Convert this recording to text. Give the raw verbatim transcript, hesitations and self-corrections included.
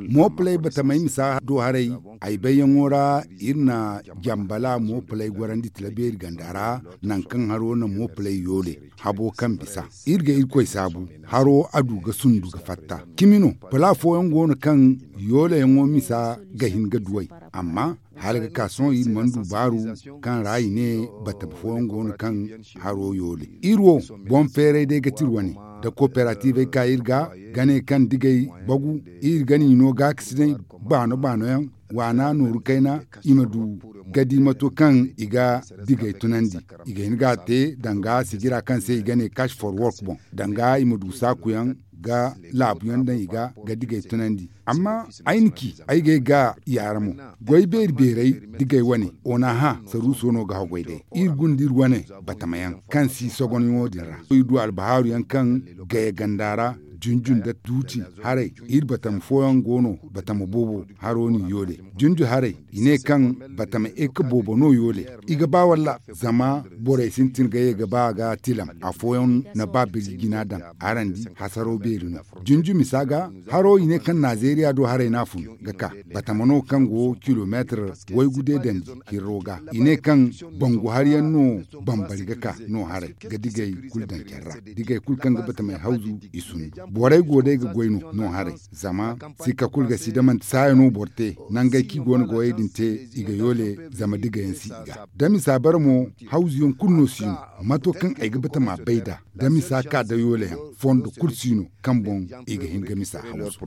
Moopalay batamey misa do haray, ay bayyaŋo ra iri na jambala moopalay gorandi tila beeri ganda ra, nangu kaŋ haro na moopalay yoole habo kaŋ bisa. Iri ga irkoy saabu, haro a du ga sundu ga fatta. Cimi no, pala fooyaŋ go no kaŋ yoolayaŋo misa ga hin ga duw'ey. Amma hala ga ka sohõ iri mana du baaru kaŋ ra i ne batama fooyaŋ go no kaŋ haro yoole. Iri wo, boŋ feeray day ga ti iri wane, da kooperativey ka iri ga, ga ne kaŋ digey bagu, iri ga ni no gaakasinay baano-baano yaŋ, waana nooru kayna, i ma du ga di mato kaŋ i ga digey tunandi. I ga hin ga a te danga sijira kaŋ se i ga ne cash for work boŋ, danga i ma du saakuyaŋ ga laabuyaŋ daŋ i ga ga digey tunandi. Amma ay na ci ay ga ay ga yaara mo, goy beeri beeray, digey wane, onaha saruuso no ga haggoy day. Iri gunda iri wane batamayaŋ kaŋ si sogonyaŋo din ra. Iri du albahaaruyaŋ kaŋ gaya ganda ra, junjun da tuuti haray, iri batama fooyaŋ go no, batama boobo haro no i yoole. Junju haray, i ne kaŋ batama eka boobo no yoole. I ga ba walla, zama borey sintin ga ye ga ba ga tilam. Afooyaŋ na ba birji jina daŋ, araŋ di hasaro beeri no. Junju misa ga, haro i ne kaŋ nazeeriya do haray no a fun ga ka. Batama no kaŋ go kilomeetir waygu day dandi hirro ga. I ne kaŋ bangu hari yaŋ no bambari ga ka no haray ga digey kulu daŋ care ra. Digey kulu kaŋ ga batamey hawzu i sundu. Borey go day ga goy no no haray. Zama sikka kulu ga si da manti saaya no boro te, nangey kaŋ i go no ga wayey din te, i ga yoole zama digayaŋ si i ga. Da misa bare mo, hawzuyaŋ kulu no si no. Mato kaŋ ay ga batama bay nd'a, da misa ka da yoolayaŋ, fondo kulu si no kaŋ boŋ i ga hin ga misa hawzu.